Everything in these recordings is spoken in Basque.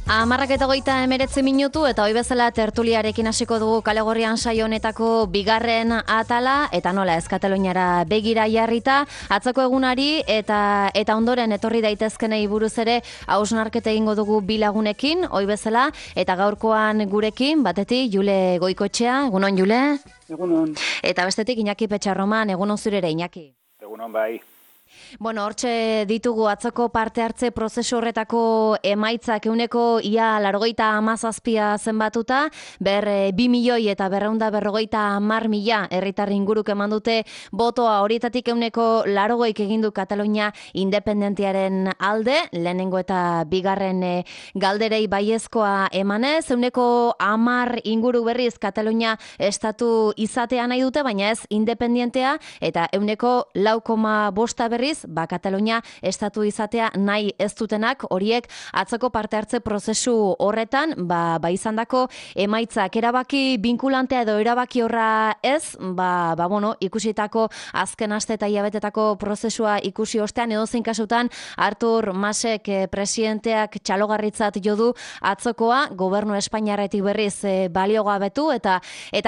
19:19 eta hoi bezala tertuliarekin hasiko dugu Kalegorrian saio honetako bigarren atala eta nola ez Kataluniara begira jarrita atzoko egunari eta ondoren etorri daitezkenei buruz ere hausnarketa egingo dugu bi lagunekin hoi bezala eta gaurkoan gurekin batetik Jule Goikoetxea, egunon Jule? Egunon. Eta bestetik Iñaki Petxarroman, egunon zurere Iñaki. Egunon bai. Bueno, hortxe ditugu atzoko parte hartze prozesu horretako emaitzak euneko ia 97 zenbatuta, 2.250.000 herritar inguruk eman dute botoa horietatik euneko 80 egindu Katalunia independentiaren alde, lehenengo eta bigarren galderei baiezkoa emanez, euneko 10 inguru berriz Katalunia estatu izatea nahi dute, baina ez independentea eta euneko 4,5 berriz, Katalunia estatu izatea nahi ez dutenak, horiek atzoko parte hartze prozesu horretan, izandako emaitzak erabaki binkulantea edo erabaki horra ez, ikusitako azken aste eta hilabetetako prozesua ikusi ostean, edozein kasutan Artur Masek presidenteak txalogarritzat jo du atzokoa, gobernu Espainiarretik berriz baliogabetu eta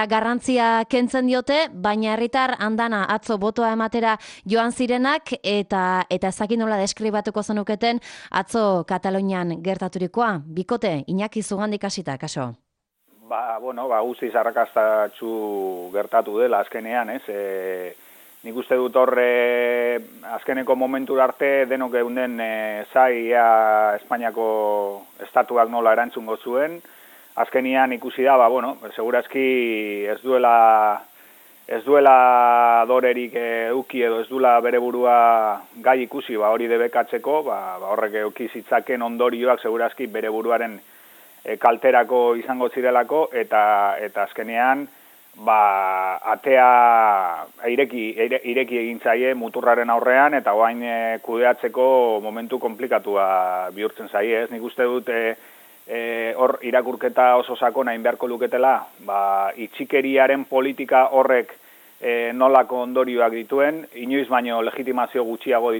garrantzia kentzen diote, baina herritar andana atzo botoa ematera joan zirenak eta ezagin nola deskribatuko zenuketen atzo Katalunian gertaturikoa. Bikote, Iñaki Zugandik hasita, kaso? Guztiz arrakastatsu gertatu dela azkenean, ez? Nik uste dut horre azkeneko momentura arte denok geunden zaia Espainiako estatuak nola erantzungo zuen. Azkenean ikusi da, segurazki ez duela dorerik euki edo ez duela bere burua gai ikusi hori debekatzeko, horrek euki zitzaken ondorioak segurazki bere buruaren kalterako izango zirelako eta azkenean atea ireki egin zaie muturraren aurrean eta orain kudeatzeko momentu konplikatua bihurtzen zaie, ez? Nik uste dut hor irakurketa oso sakona egin beharko luketela, itxikeriaren politika horrek nolako ondorioak dituen, inoiz baino legitimazio gutxiago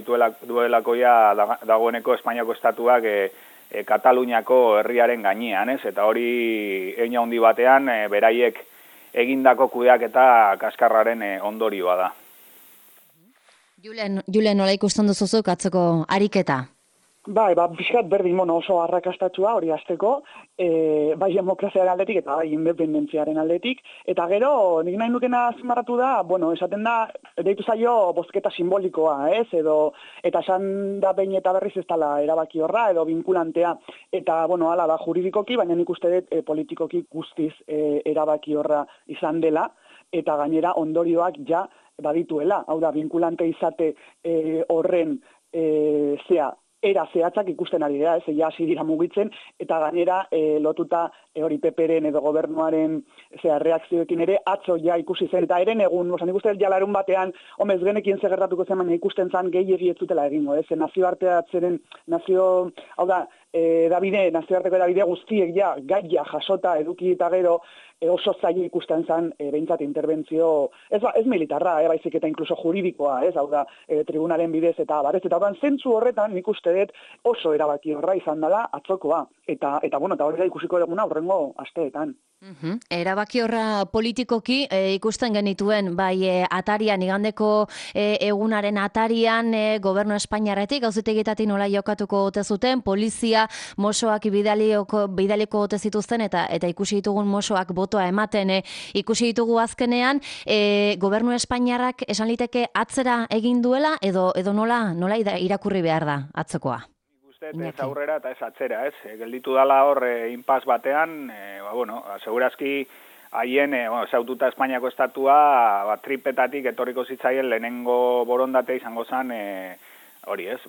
duelako dagoeneko Espainiako estatuak Kataluniako herriaren gainean, ez? Eta hori hein handi batean beraiek egindako kudeaketa kaskarraren ondorioa da. Jule, nola ikusten duzuzuk atzoko ariketa? Pixkat berdin oso arrakastatsua hori hasteko, bai demokraziaren aldetik eta bai independentziaren aldetik, eta gero nik nahi nukena azpimarratu da, esaten da, deitu zaio bozketa simbolikoa, ez, eta esan da behin eta berriz ez dela erabaki horra, edo vinkulantea, eta, hala da juridikoki, baina nik uste dut politikoki guztiz erabaki horra izan dela, eta gainera ondorioak ja badituela, hau da, vinkulante izate horren era zehatzak ikusten ari da, ez, hasi dira mugitzen, eta gainera lotuta hori PPren edo gobernuaren reakzioekin ere atzo ja ikusi zen, eta eren egun, nik uste ja larun batean, ez genekin gertatuko zen, baina ikusten zen gehiegi ez zutela egingo, ez, nazioarteatzeren, hau da, nazioarteko edabide guztiek ja, gaia jasota eduki eta gero, oso zaila ikusten zen behintzat interbentzio, ez militarra, baizik eta inkluso juridikoa, hau da, tribunalen bidez eta barez, eta zentzu horretan nik uste dut oso erabaki horra izan dela atzokoa, eta hori da ikusiko duguna horrengo asteetan. Erabaki horra politikoki ikusten genituen, atarian, igandeko egunaren atarian gobernu Espainiarretik, gauzitegitatik nola jokatuko ote zuten, polizia mosoak bidaliko ote zituzten eta ikusi ditugun mosoak botoa ematen ikusi ditugu azkenean, gobernu Espainiarrak esan liteke atzera egin duela edo nola irakurri behar da atzokoa? Ez aurrera eta ez atzera, ez? Gelditu dala hor inpas batean, segurazki haien, zaututa Espainiako estatua, tripetatik etorriko zitzaien lehenengo borondate izango zen, hori ez,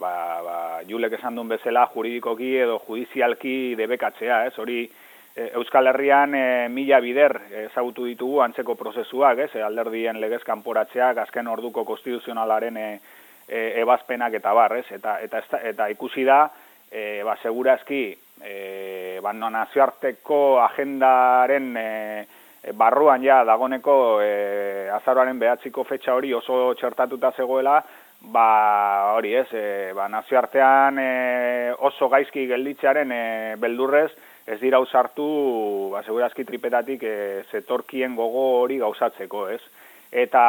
Julek esan duen bezala juridikoki edo judizialki debekatzea, ez? Hori Euskal Herrian 1000 bider ezagutu ditugu antzeko prozesuak, ez? Alderdien legez kanporatzeak, azken orduko konstituzionalaren ebazpenak eta barrez, eta ikusi da, segurazki, nazioarteko agendaren barruan dagoneko azaroaren 9ko fetxa hori oso txertatuta zegoela, hori ez, nazioartean oso gaizki gelditzearen beldurrez, ez dira ausartu, segurazki tripetatik zetorkien gogo hori gauzatzeko, ez? Eta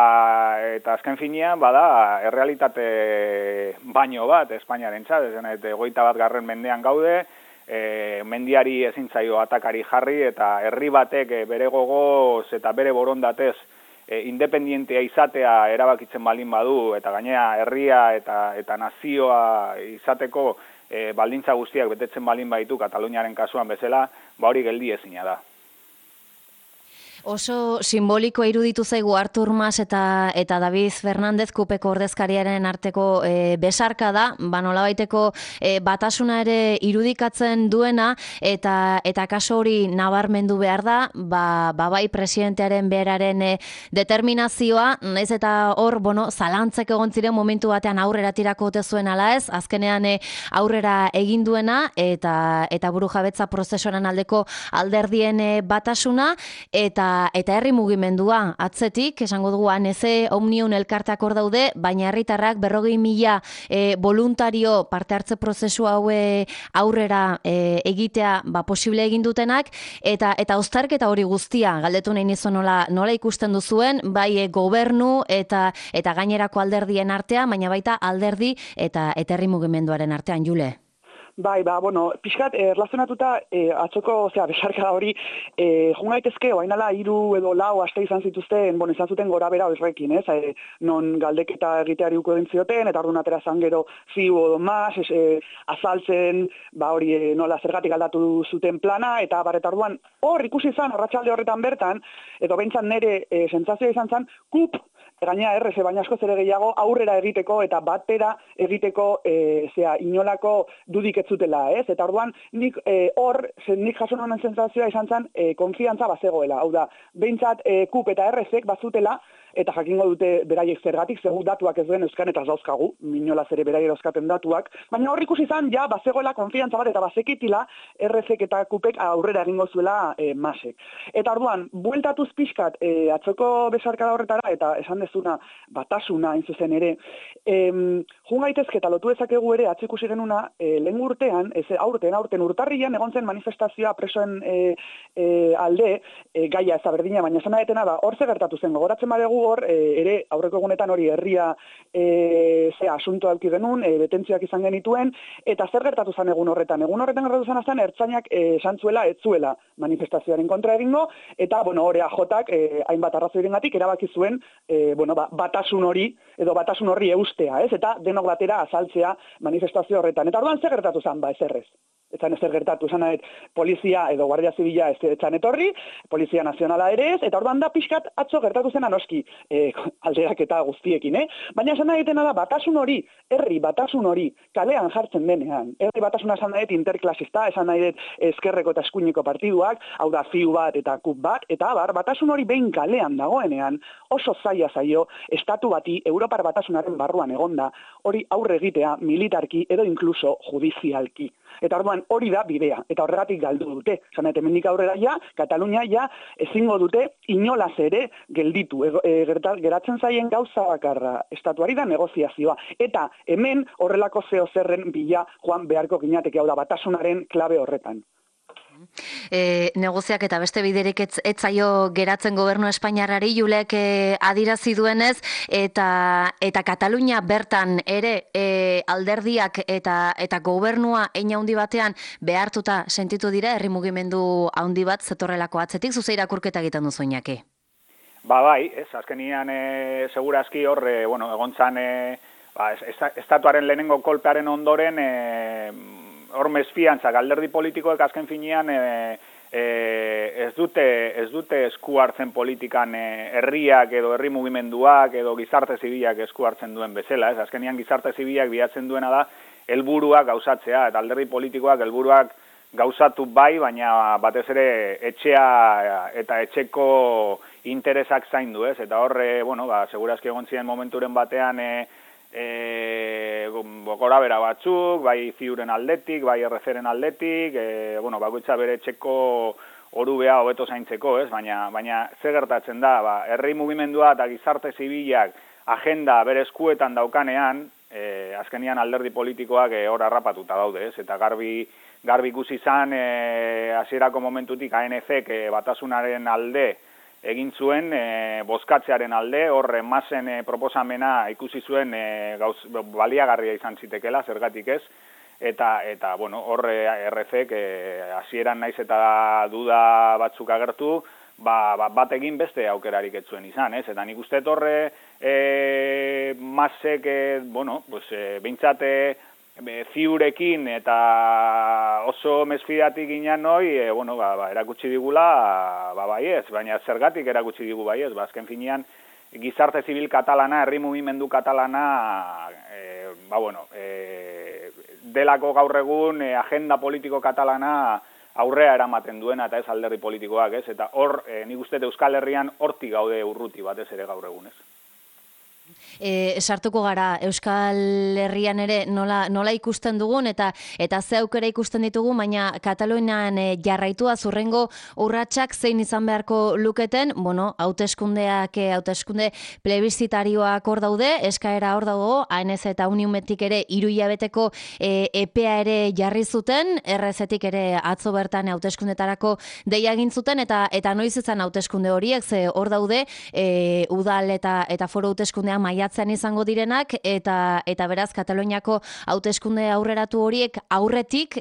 azken finean, bada, errealitate baino bat, Espainiarentzat, ez 21. mendean gaude, mendiari ezin zaio atakari jarri, eta herri batek bere gogoz eta bere borondatez independientea izatea erabakitzen baldin badu, eta gainera herria eta nazioa izateko baldintza guztiak betetzen baldin baditu Kataluniaren kasuan bezala, hori geldi ezina da. Oso simbolikoa iruditu zaigu Artur Mas eta David Fernández Kupeko ordezkariaren arteko besarka da, nolabaiteko batasuna ere irudikatzen duena, eta kaso hori nabarmendu behar da, bai presidentearen beraren determinazioa, naiz eta hor, zalantzek egon ziren momentu batean aurrera tirako ote zuen ala ez, azkenean aurrera egin duena, eta burujabetza prozesuaren aldeko alderdien batasuna, eta herri mugimendua atzetik, esango dugu ANC, Omnium elkarteak hor daude, baina herritarrak 40.000 voluntario parte hartze prozesu haue aurrera egitea posible egin dutenak, eta uztarketa hori guztia, galdetu nahi nizu nola ikusten duzuen, bai gobernu eta gainerako alderdien artean, baina baita alderdi eta herri mugimenduaren artean, Jule. Bai, pixkat, erlazionatuta atzoko, besarka hori, joan gaitezke, oainala 3 edo 4 aste izan zituzten, izan zuten gora bera horrekin, non galdeketa egiteari uko egin zioten, eta orduan atera zan gero ziu edo mas, azaltzen, hori nola zergatik aldatu zuten plana, eta orduan hor ikusi izan, arratsalde horretan bertan, edo behintzan nire sentsazioa izan zen, kup, gaina RC, baina asko ere gehiago, aurrera egiteko eta batera egiteko inolako dudik ez zutela, ez? Eta orduan, nik jaso nonen sentsazioa izan zen, konfiantza bazegoela. Hau da, behintzat KUP eta RC bazutela, eta jakingo dute beraiek zergatik, zegu datuak ez duen euskan eta zauzkagu, minolaz ere beraiek euskaten datuak, baina hor ikusi izan, bazegoela konfiantza bat eta bazekitila RC eta KUPek aurrera egingo zuela masek. Eta orduan, bueltatuz pixkat atzoko besarkada horretara, eta esan dezuna batasuna hain zuzen ere, jun gaitezke eta lotu dezakegu ere atzikusi genuna, lehen urtean, aurten urtarrian egon zen manifestazioa presoen alde, gaia ez da berdina, baina esan adetena da, hor gertatu zen, gogoratzen badegu hor, ere aurreko egunetan hori herria asunto alki genuen, betentzioak izan genituen, eta zer gertatu zen egun horretan? Egun horretan gertatu zen azan, ertzainak esan zuela, ez zuela manifestazioaren kontra egingo, eta, hori ajotak, hainbat arrazoirengatik erabaki zuen, batasun hori, edo batasun horri eustea, ez? Eta denok batera azaltzea manifestazio horretan. Eta orduan zer gertatu zen, ezerrez. Etzan ezer gertatu, esan polizia edo guardia zibila etzan etorri, polizia nazionala ere ez, eta orduan da pixkat atzo gertatu zen anoski alderak eta guztiekin, Baina esan nahetena da batasun hori, herri batasun hori kalean jartzen denean. Herri batasuna esan nahet interklasista, esan nahet ezkerreko eta eskuineko partiduak, hau da ziu bat eta KUP bat, eta batasun hori behin kalean dagoenean, oso zaila zaio, estatu bati, Europar batasunaren barruan egonda, hori aurre egitea militarki edo inkluso judizialki. Eta orduan hori da bidea, eta horregatik galdu dute. Zanet, hemendik aurrera Katalunia ezingo dute inolaz ere gelditu. Geratzen zaien gauza bakarra, estatuari da negoziazioa. Eta hemen horrelako zerren bila joan beharko ginateke, hau da batasunaren klabe horretan. Negoziak eta beste biderik etzaio geratzen gobernu espainiarrari Julek adirazi duenez, eta Katalunia bertan ere alderdiak eta gobernua hein handi batean behartuta sentitu dira herri mugimendu handi bat zetorrelako atzetik, zuze irakurketa egiten duzu Iñaki. Bai, azkenian segurazki hor, egontzan estatuaren lehenengo kolpearen ondoren hor mesfiantzak alderdi politikoek azken finean ez dute esku hartzen politikan herriak edo herri mugimenduak edo gizarte zibilak esku hartzen duen bezala. Azkenean gizarte zibilak bilatzen duena da helburuak gauzatzea, eta alderdi politikoak helburuak gauzatu bai, baina batez ere etxea eta etxeko interesak zaindu, ez? Eta hor, segurazki egon ziren momenturen batean gora bera batzuk, bai ziuren aldetik, bai errezeren aldetik, bakoitza bere etxeko orubea hobeto zaintzeko, ez? Baina zer gertatzen da, herri mugimendua eta gizarte zibilak agenda bere eskuetan daukanean, azkenian alderdi politikoak hor harrapatuta daude, ez? Eta garbi ikusi izan hasierako momentutik ANC-k batasunaren alde egin zuen, bozkatzearen alde, hor masen proposamena ikusi zuen baliagarria izan zitekela, zergatik ez, eta bueno, hor RC-k hasieran naiz eta duda batzuk agertu, bat egin beste aukerarik ez zuen izan, ez? Eta nik uste horre masek, bueno, pues, behintzat ziurekin eta oso mesfidatik ginen noi, bueno, erakutsi digula, baiez, baina zergatik erakutsi digu baiez, azken finean, gizarte zibil katalana, herri mugimendu katalana, bueno, delako gaur egun agenda politiko katalana aurrea eramaten duena eta ez alderdi politikoak, ez? Eta hor, nik uste Euskal Herrian hortik gaude urruti batez ere gaur egun, ez? Sartuko gara Euskal Herrian ere nola ikusten dugun eta ze aukera ikusten ditugu, baina Katalunian jarraitua zurrengo urratsak zein izan beharko luketen, bueno, hauteskunde plebiszitarioak hor daude, eskaera hor dago, ANC eta Uniumetik ere 3 hilabeteko epea ere jarri zuten, RZ-tik ere atzo bertan hauteskundetarako deia egin zuten eta noiz izan hauteskunde horiek, ze hor daude udal eta foro hauteskundean maiatzean izango direnak eta beraz Kataluniako hauteskunde aurreratu horiek aurretik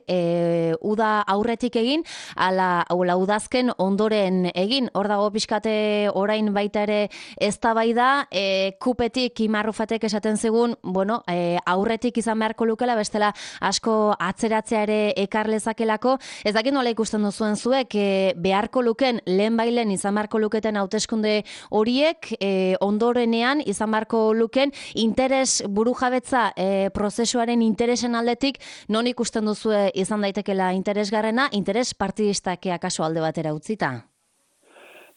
uda aurretik egin ala udazken ondoren egin. Hor dago pixkate orain baita ere eztabaida, kupetik Imarrufatek esaten zigun, bueno, aurretik izan beharko lukela, bestela asko atzeratzea ere ekar lezakelako. Ez dakit nola ikusten duzuen zuek, beharko luken lehenbailen izan beharko luketen hauteskunde horiek ondorenean izan beharko luken interes burujabetza prozesuaren interesen aldetik non ikusten duzue izan daitekela interesgarrena, interes partidistak akaso alde batera utzita?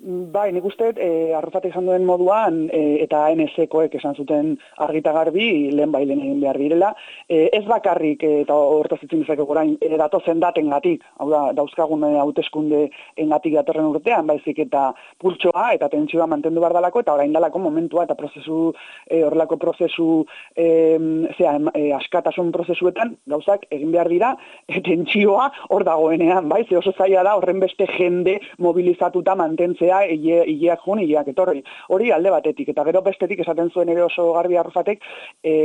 Bai, nik uste, Arrufatek esan duen moduan, eta ANC-koek esan zuten argita garbi, lehen egin behar direla. Ez bakarrik, eta hortaz itzin dezakegu orain, datozen datengatik, hau da, dauzkagun hauteskunde engatik datorren urtean, baizik eta pultsoa eta tentsioa mantendu behar dalako, eta orain dalako momentua eta prozesu, horrelako prozesu, askatasun prozesuetan, gauzak egin behar dira, tentsioa hor dagoenean, bai, ze oso zaila da horren beste jende mobilizatuta mantentzea hileak jun, hileak etorri. Hori alde batetik, eta gero bestetik esaten zuen ere oso garbi Arrufatek,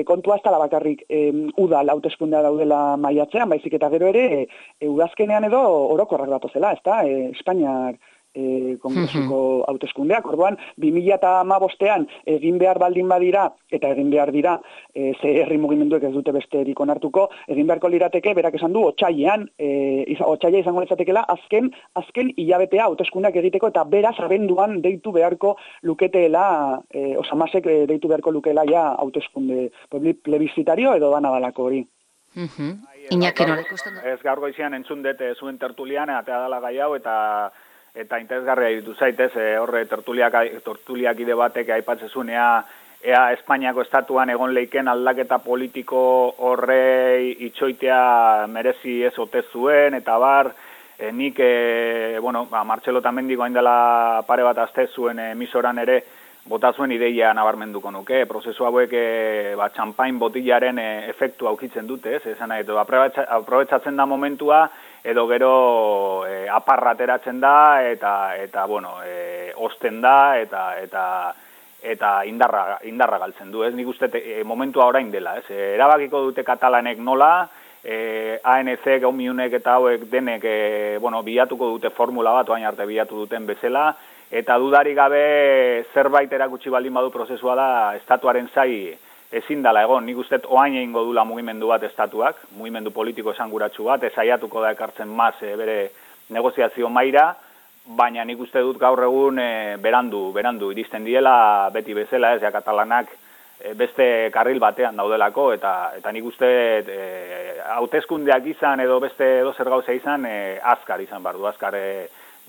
kontua ez dela bakarrik udal hauteskundea daudela maiatzean, baizik eta gero ere udazkenean edo orokorrak datozela, ez da, Espainiar kongresuko hauteskundeak. Orduan, 2015ean egin behar baldin badira, eta egin behar dira, ze herri mugimenduek ez dute besterik onartuko, egin beharko lirateke, berak esan du, otsailean izango litzatekeela, azken hilabetea hauteskundeak egiteko, eta beraz abenduan deitu beharko luketeela, osamasek deitu beharko lukeela ja hauteskunde plebiscitario edo dana dalako hori. Iñaki nola ikusten du? Ez gaur goizean entzun dute zuen tertulian, atea dela gai hau, eta interesgarria ditu zaitez, horre tertuliakide batek aipatzezunea ea Espainiako estatuan egon leiken aldaketa politiko horrei itxoitea merezi ez ote zuen, eta bar, nik, bueno, Martxelo Tamendik hain dela pare bat aste zuen emisoran ere, bota zuen ideia nabarmenduko nuke, prozesu hauek txampain botillaren efektu aukitzen dute, ez? Esan nahi, aprobetsatzen da momentua, edo gero aparra ateratzen da, eta bueno, osten da, eta indarra galtzen du, ez? Nik uste momentua orain dela, ez? Erabakiko dute katalanek nola, ANC, Gaumiunek eta hauek denek, bueno, bilatuko dute formula bat, oain arte bilatu duten bezala, eta dudarik gabe zerbait erakutsi baldin badu prozesua da estatuaren zai ezin dela egon. Nik uste oain egingo dula mugimendu bat estatuak, mugimendu politiko esanguratsu bat, saiatuko da ekartzen maz bere negoziazio maira, baina nik uste dut gaur egun berandu iristen diela beti bezala, ez ja katalanak beste karril batean daudelako, eta nik uste hauteskundeak izan edo beste edo zer gauza izan azkar izan behar du, azkar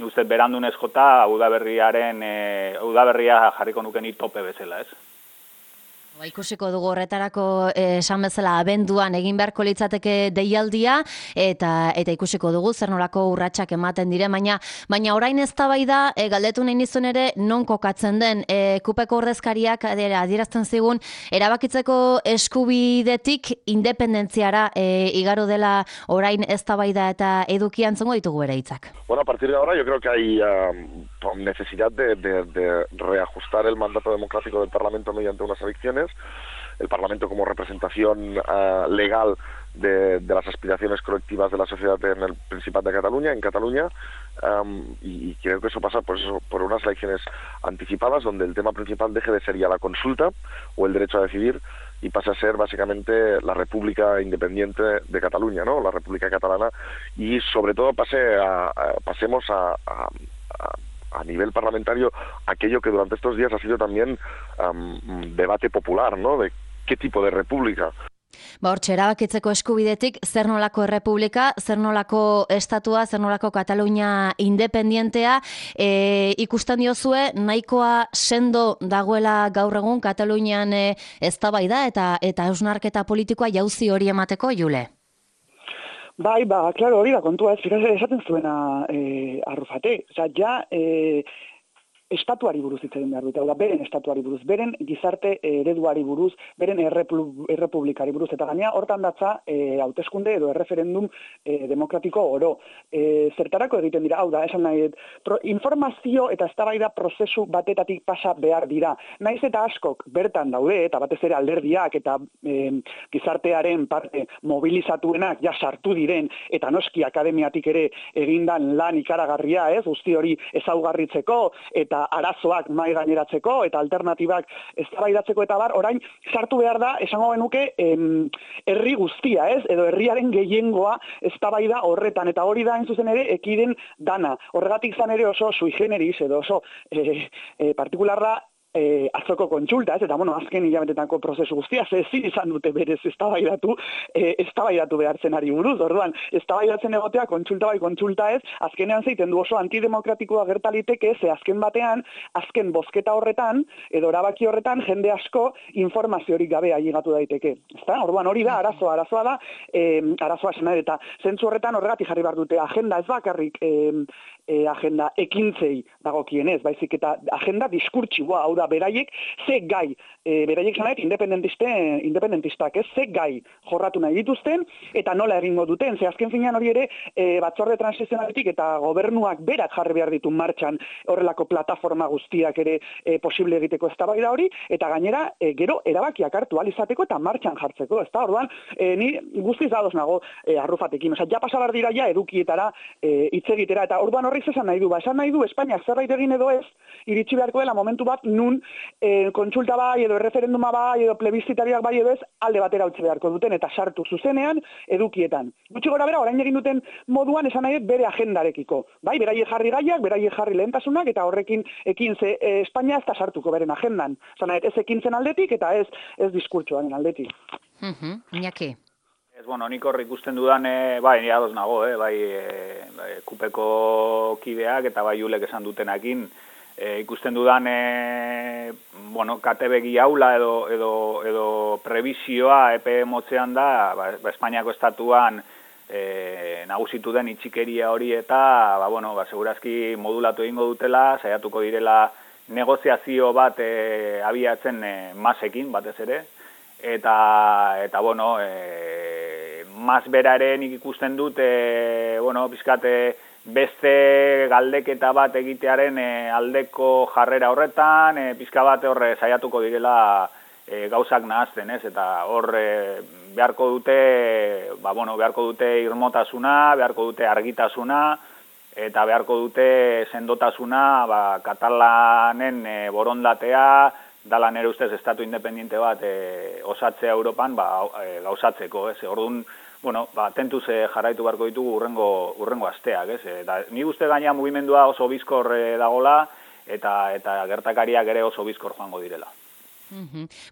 nik uste berandunez jota udaberria jarriko nuken tope bezala, ez? Ikusiko dugu horretarako esan bezala abenduan egin beharko litzateke deialdia eta ikusiko dugu zer nolako urratsak ematen dire, baina orain eztabaida galdetu nahi nizun ere non kokatzen den kupeko ordezkariak adierazten zigun erabakitzeko eskubidetik independentziara igaro dela orain eztabaida eta eduki antzongo ditugu bere hitzak. Bueno, a partir de ahora yo creo que hay necesidad de reajustar el mandato democrático del Parlamento mediante unas elecciones. El Parlamento como representación legal de las aspiraciones colectivas de la sociedad en el Principat de Cataluña, en Cataluña, y creo que eso pasa por unas elecciones anticipadas donde el tema principal deje de ser ya la consulta o el derecho a decidir y pase a ser básicamente la República Independiente de Cataluña, ¿no? La República Catalana, y sobre todo pasemos a nivel parlamentario aquello que durante estos días ha sido también debate popular, ¿no? De qué tipo de república. Hortxe, erabakitzeko eskubidetik, zer nolako errepublika, zer nolako estatua, zer nolako Katalunia independientea, ikusten diozue, nahikoa sendo dagoela gaur egun Katalunian eztabaida eta hausnarketa politikoa jauzi hori emateko, Jule? Bai, klaro, hori da kontua, esaten zuena Arrufate. Osa, ja, estatuari buruz hitz egin behar dute, beren estatuari buruz, beren gizarte ereduari buruz, beren errepublikari buruz, eta gainea hortan datza hauteskunde edo erreferendum demokratiko oro. Zertarako egiten dira, hau da, esan nahi, informazio eta eztabaida prozesu batetatik pasa behar dira. Naiz eta askok bertan daude, eta batez ere alderdiak eta gizartearen parte mobilizatuenak ja sartu diren, eta noski akademiatik ere egindan lan ikaragarria, guzti hori ezaugarritzeko, eta arazoak mai gaineratzeko eta alternatibak eztabaidatzeko eta orain sartu behar da, esango genuke, herri guztia, edo herriaren gehiengoa eztabaida horretan, eta hori da hain zuzen ere ekiden dana. Horregatik zan ere oso sui generis edo oso partikularra atzoko kontsulta, eta azken hilabetetako prozesu guztia, ezin izan dute berez eztabaidatu behartzen ari buruz, orduan, eztabaidatzen egotea kontsulta bai kontsulta ez, azkenean zeiten du oso antidemokratikoa gertaliteke, ze azken batean, azken bozketa horretan, edo erabaki horretan, jende asko informaziorik gabe ailegatu daiteke. Orduan, hori da, arazoa da, arazoa esan eta zentzu horretan horregatik jarri behar dute agenda ez bakarrik agenda ekintzei dagokienez, baizik eta agenda diskurtsiboa, hau da, beraiek ze gai, beraiek zanaet independentistak, ze gai jorratu nahi dituzten, eta nola egingo duten, ze azken finean hori ere batzorde transizionaletik eta gobernuak berak jarri behar ditu martxan horrelako plataforma guztiak ere posible egiteko eztabaida hori, eta gainera gero erabakiak hartu ahal izateko eta martxan jartzeko, ezta? Orduan, ni guztiz dadoz nago Arrufatekin, ja pasabar dira ja edukietara hitz egitera, eta orduan horri esan nahi du, esan nahi du Espainiak zerbait egin edo ez, iritsi beharko dela momentu bat nun kontsulta bai, edo referenduma bai, edo plebiscitariak bai edo ez, alde batera utzi beharko duten, eta sartu zuzenean edukietan. Gutxi gora bera, orain egin duten moduan esan nahi bere agendarekiko. Bai, beraiek jarri gaiak, beraiek jarri lehentasunak, eta horrekin ekin ze Espainia ez da sartuko beren agendan. Esan nahi, ez ekintzen aldetik, eta ez diskurtsoaren aldetik. Iñaki. Nik hor ikusten dudan, bai, ni ados nago, kupeko kideak eta bai Julek esan dutenakin, ikusten dudan, katebegi haula edo prebisioa epe motzean da, Espainiako estatuan nagusitu den itxikeria hori eta, segurazki modulatu egingo dutela, saiatuko direla negoziazio bat abiatzen masekin, batez ere, eta mas bera ere nik ikusten dut, pizkat beste galdeketa bat egitearen aldeko jarrera horretan, pizka bat horre saiatuko direla gauzak nahazten, ez? Eta hor beharko dute irmotasuna, beharko dute argitasuna, eta beharko dute sendotasuna, katalanen borondatea, dala nere ustez estatu independiente bat osatzea Europan gauzatzeko, ez? Orduan, tentuz jarraitu beharko ditugu urrengo asteak, ez? Eta ni uste gaina mugimendua oso bizkor dagola eta gertakariak ere oso bizkor joango direla.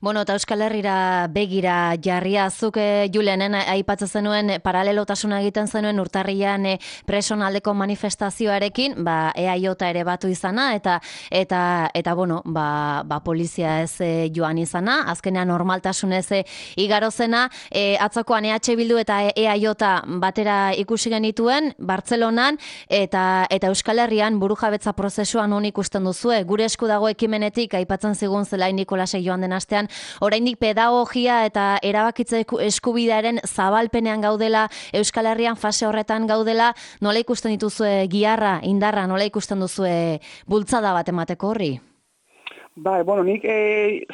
Bueno, eta Euskal Herrira begira jarria, zuk Julenen aipatzen zenuen paralelotasuna egiten zenuen urtarrian presonaldeko manifestazioarekin, EAJ ere batu izana, eta bueno, polizia ez joan izana, azkenean normaltasunez igaro zena, atzokoan EH Bildu eta EAJ batera ikusi genituen, Bartzelonan, eta Euskal Herrian burujabetza prozesuan hon ikusten duzue, gure esku dago ekimenetik, aipatzen zigun Zelain Nikolasek joan den astean, oraindik pedagogia eta erabakitze eskubidearen zabalpenean gaudela, Euskal Herrian fase horretan gaudela, nola ikusten dituzue giharra, indarra, nola ikusten duzue bultzada bat emateko horri? Bueno, nik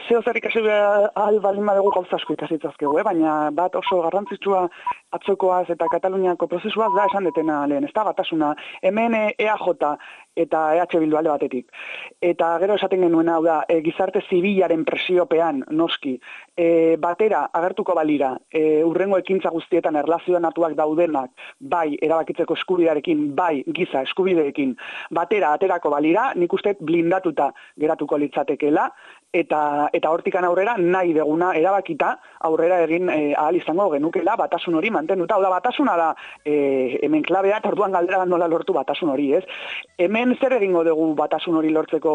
zeo zer ikasi ahal baldin badugu gauza asko ikasitzazkegu, baina bat oso garrantzitsua atzokoaz eta Kataluniako prozesuaz da esan detena lehen, ez da batasuna, hemen EAJ eta EH Bildu alde batetik. Eta gero esaten genuen hau da, gizarte zibilaren presiopean noski, batera agertuko balira, urrengo ekintza guztietan erlazionatuak daudenak, bai erabakitzeko eskubidearekin, bai giza eskubideekin, batera aterako balira, nik uste blindatuta geratuko litzatekeela, eta hortikan aurrera nahi deguna erabakita aurrera egin ahal izango genukela batasun hori mantenduta. Hau da, batasuna da hemen klabea, eta orduan galdera nola lortu batasun hori, ez? Hemen zer egingo dugu batasun hori lortzeko?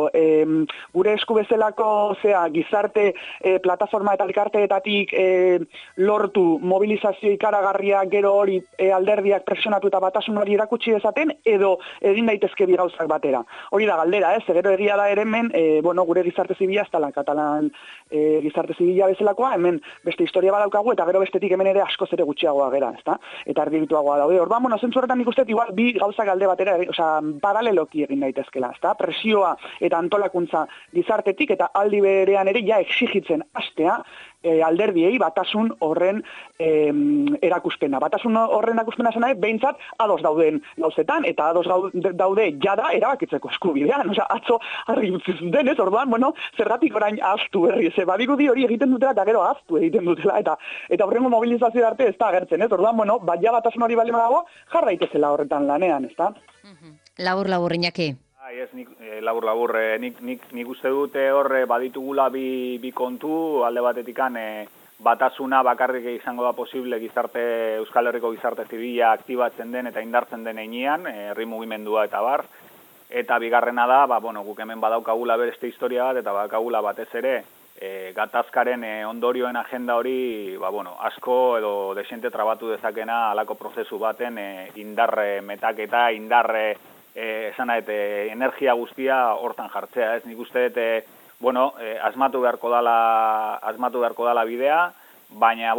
Gure esku bezalako gizarte plataforma eta elkarteetatik lortu mobilizazio ikaragarria gero hori alderdiak presionatu eta batasun hori erakutsi dezaten, edo egin daitezke bi gauzak batera. Hori da galdera, ez? Gero egia da ere hemen, gure gizarte zibila ez dela Katalan gizarte zibila bezalakoa, hemen beste historia badaukagu, eta gero bestetik hemen ere askoz ere gutxiagoa gera, ezta? Eta erdibituagoa daude. Orduan, zentzu horretan nik uste igual bi gauzak alde batera, paraleloki egin daitezkela, ezta? Presioa eta antolakuntza gizartetik, eta aldi berean ere ja exigitzen hastea alderdiei batasun horren erakuspena. Batasun horren erakuspena zena behintzat ados dauden gauzetan, eta ados daude jada erabakitzeko eskubidean. Atzo argi utzi zuten, ez? Orduan, zergatik orain ahaztu berri, badirudi hori egiten dutela eta gero ahaztu egiten dutela, eta horrengo mobilizazio arte ez da agertzen, ez? Orduan, ja batasun hori bali dago, jarra daitezela horretan lanean, ez da? Labur, Iñaki. Labur, nik uste dute horre baditugula bi kontu, alde batetikan batasuna bakarrik izango da posible Euskal Herriko gizarte zibila aktibatzen den eta indartzen den heinean, herri mugimendua eta bar, eta bigarrena da, guk hemen badaukagula beste historia bat, eta badaukagula batez ere, gatazkaren ondorioen agenda hori, asko edo desente trabatu dezakena alako prozesu baten indarre metaketa, indarre energia guztia hortan jartzea, ez? Nik uste dut, asmatu beharko dala bidea, baina,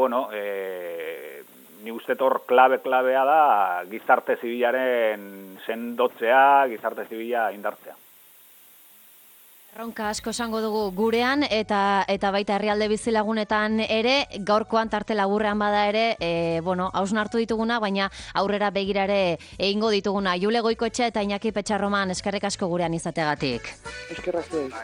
nik uste dut hor klabea da gizarte zibilaren sendotzea, gizarte zibila indartzea. Erronka asko esango dugu gurean, eta baita herrialde bizilagunetan ere, gaurkoan tarte laburrean bada ere, hausnartu dituguna, baina aurrera begira ere egingo dituguna. Jule Goikoetxea eta Iñaki Petxarroman eskerrik asko gurean izategatik. Eskerrak zuei.